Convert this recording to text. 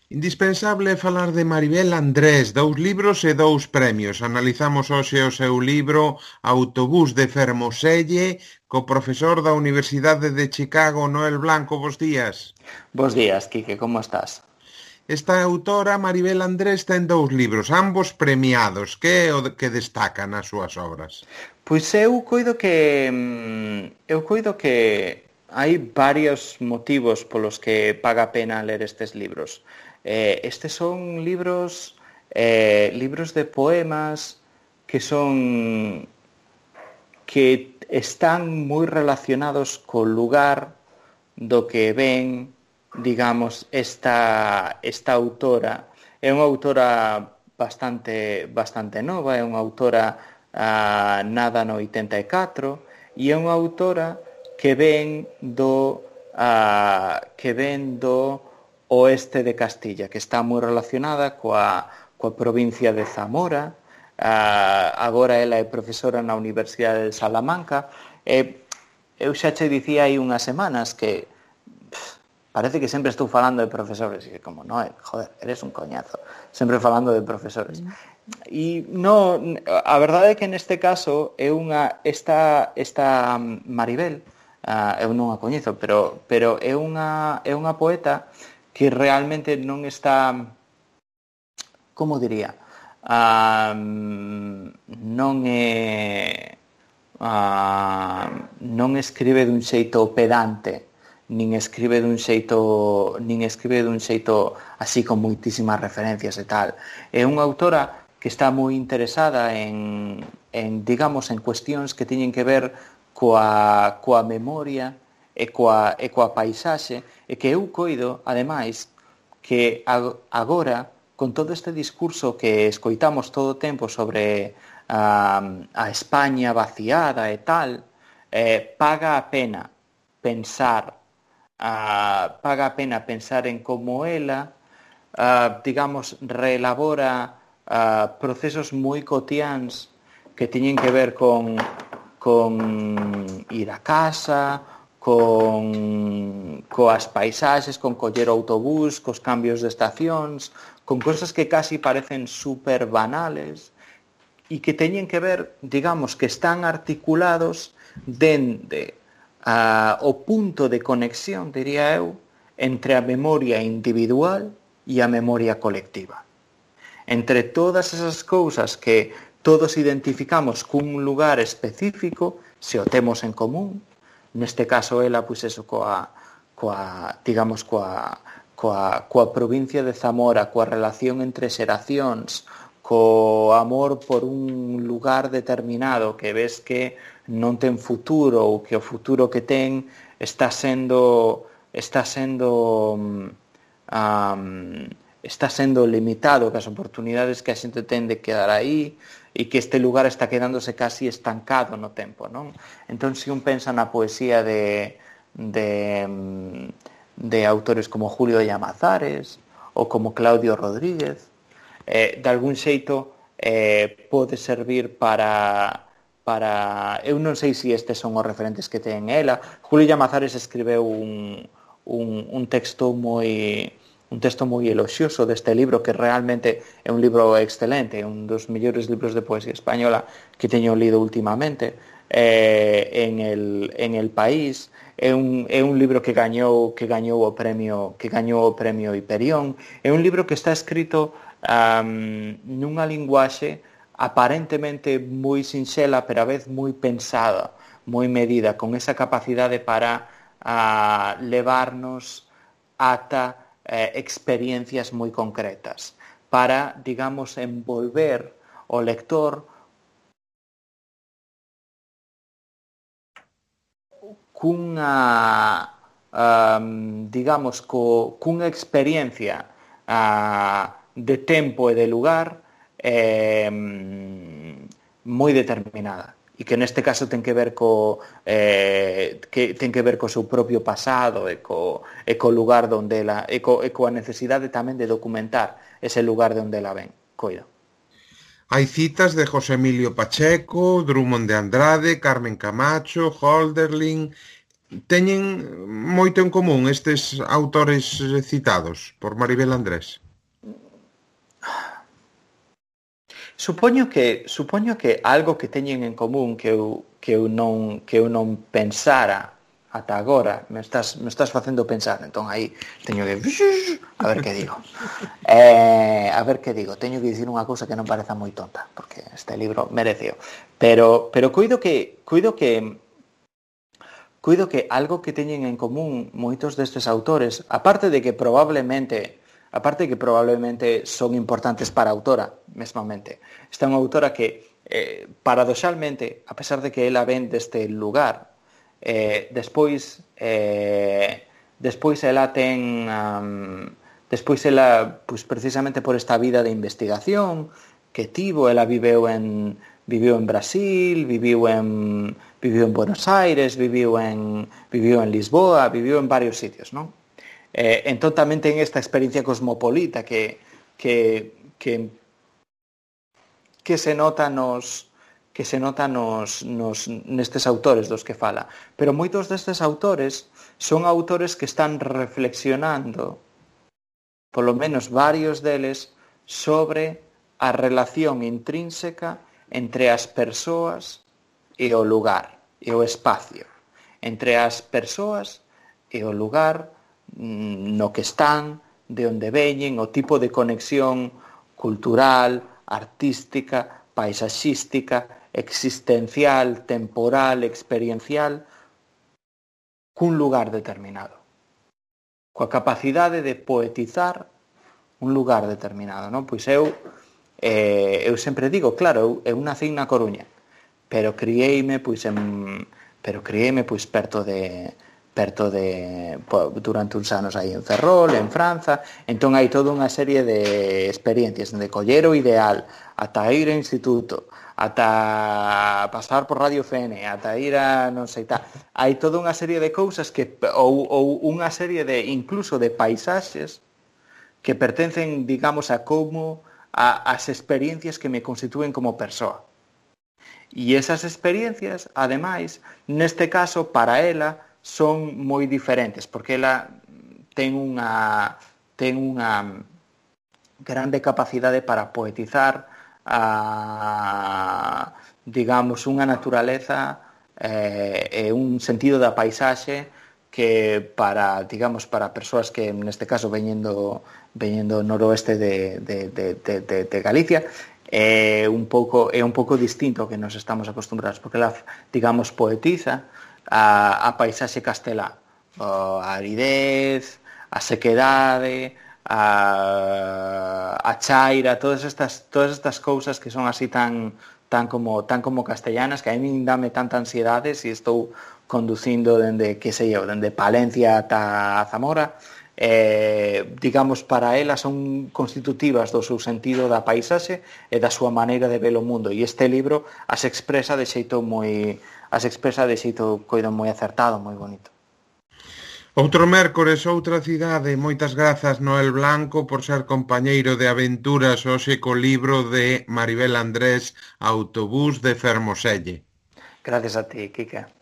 Indispensable é falar de Maribel Andrés, 2 libros e 2 premios. Analizamos hoxe o seu libro Autobús de Fermoselle co profesor da Universidade de Chicago, Noel Blanco. Bos días. Bos días, Quique, como estás? Esta autora, Maribel Andrés, ten 2 libros, ambos premiados. Que é o que destaca nas súas obras? Pois eu coido que hai varios motivos polos que paga a pena ler estes libros. Estes son libros de poemas que están moi relacionados co lugar do que ven, digamos, esta autora. É unha autora bastante nova, é unha autora nada no 84, e é unha autora que ven do oeste de Castilla, que está moi relacionada coa provincia de Zamora. Agora ela é profesora na Universidade de Salamanca. Eu xa che dicía hai unhas semanas que parece que sempre estou falando de profesores, e como, Noel, joder, eres un coñazo, sempre falando de profesores. E no, a verdade é que neste caso é esta Maribel, eu non a coñezo, pero é unha poeta que realmente non está, como diría, non escribe dun xeito pedante, nin escribe dun xeito así con moitísimas referencias e tal. É unha autora que está moi interesada digamos, en cuestións que teñen que ver coa memoria e coa paisaxe, e que eu coido, ademais, que agora, con todo este discurso que escoitamos todo o tempo sobre a España vaciada e tal, paga a pena pensar en como ela, digamos, reelabora procesos moi cotiáns que teñen que ver con ir a casa, coas paisaxes, con coller o autobús, cos cambios de estacións, con cosas que casi parecen super banales e que teñen que ver, digamos, que están articulados dende o punto de conexión, diría eu, entre a memoria individual e a memoria colectiva. Entre todas esas cousas que todos identificamos cun lugar específico, se o temos en común, neste caso ela, pois eso, coa provincia de Zamora, coa relación entre xeracións, co amor por un lugar determinado que ves que non ten futuro, ou que o futuro que ten está sendo limitado, que as oportunidades que a xente ten de quedar aí, e que este lugar está quedándose casi estancado no tempo, non? Entón, se un pensa na poesía de autores como Julio Llamazares ou como Claudio Rodríguez, de algún xeito pode servir para... Eu non sei se estes son os referentes que ten ela. Julio Llamazares escribeu un texto moi eloxioso deste libro, que realmente é un libro excelente, un dos mellores libros de poesía española que teño lido últimamente, en el País. É un libro que gañou o premio Hiperión. É un libro que está escrito nunha linguaxe aparentemente moi sinxela, pero a vez moi pensada, moi medida, con esa capacidade para levarnos ata experiencias moi concretas, para, digamos, envolver o lector cunha experiencia de tempo e de lugar moi determinada, e que neste caso ten que ver co seu propio pasado e co lugar onde ela e coa necesidade tamén de documentar ese lugar de onde ela ven. Coida. Hai citas de José Emilio Pacheco, Drummond de Andrade, Carmen Camacho, Hölderlin teñen moito en común estes autores citados por Maribel Andrés? Supoño que algo que teñen en común que eu non pensara ata agora, me estás facendo pensar, entón aí teño que a ver que digo. Teño que dicir unha cousa que non pareza moi tonta, porque este libro mereceo. Pero coido que algo que teñen en común moitos destes autores, aparte de que probablemente son importantes para a autora mesmamente. Esta é unha autora que, paradoxalmente, a pesar de que ela ven deste lugar, despois ela ten... despois ela, pois, precisamente por esta vida de investigación que tivo, ela viviu en Brasil, viviu en Buenos Aires, viviu en Lisboa, viviu en varios sitios, non? Entón tamén ten esta experiencia cosmopolita que se nota nestes autores dos que fala. Pero moitos destes autores son autores que están reflexionando, polo menos varios deles, sobre a relación intrínseca entre as persoas e o lugar, e o espacio, entre as persoas e o lugar no que están, de onde veñen, o tipo de conexión cultural, artística, paisaxística, existencial, temporal, experiencial, cun lugar determinado. Coa capacidade de poetizar un lugar determinado, non? Pois eu sempre digo, claro, eu nací na Coruña, pero criei-me durante uns anos aí en Ferrol, en Franza. Entón hai toda unha serie de experiencias, de coller o ideal, ata ir ao instituto, ata pasar por Radio FN, ata ir a non sei tal. Hai toda unha serie de cousas que ou unha serie de incluso de paisaxes que pertencen, digamos, a como as experiencias que me constitúen como persoa. E esas experiencias, ademais, neste caso, para ela, son moi diferentes, porque ela ten unha grande capacidade para poetizar digamos, unha naturaleza e un sentido da paisaxe que para persoas que neste caso veñendo noroeste de Galicia é un pouco distinto ao que nos estamos acostumbrados, porque ela, digamos, poetiza a paisaxe castelá, a aridez, a sequedade, a chaira, todas estas cousas que son así tan como castellanas, que a mí dame tanta ansiedade se estou conducindo dende Palencia ata Zamora. Digamos, para ela son constitutivas do seu sentido da paisaxe e da súa maneira de ver o mundo, e este libro as expresa de xeito coido moi acertado, moi bonito. Outro mércores, outra cidade. Moitas grazas, Noel Blanco, por ser compañeiro de aventuras hoxe co libro de Maribel Andrés, Autobús de Fermoselle. Gracias a ti, Kike.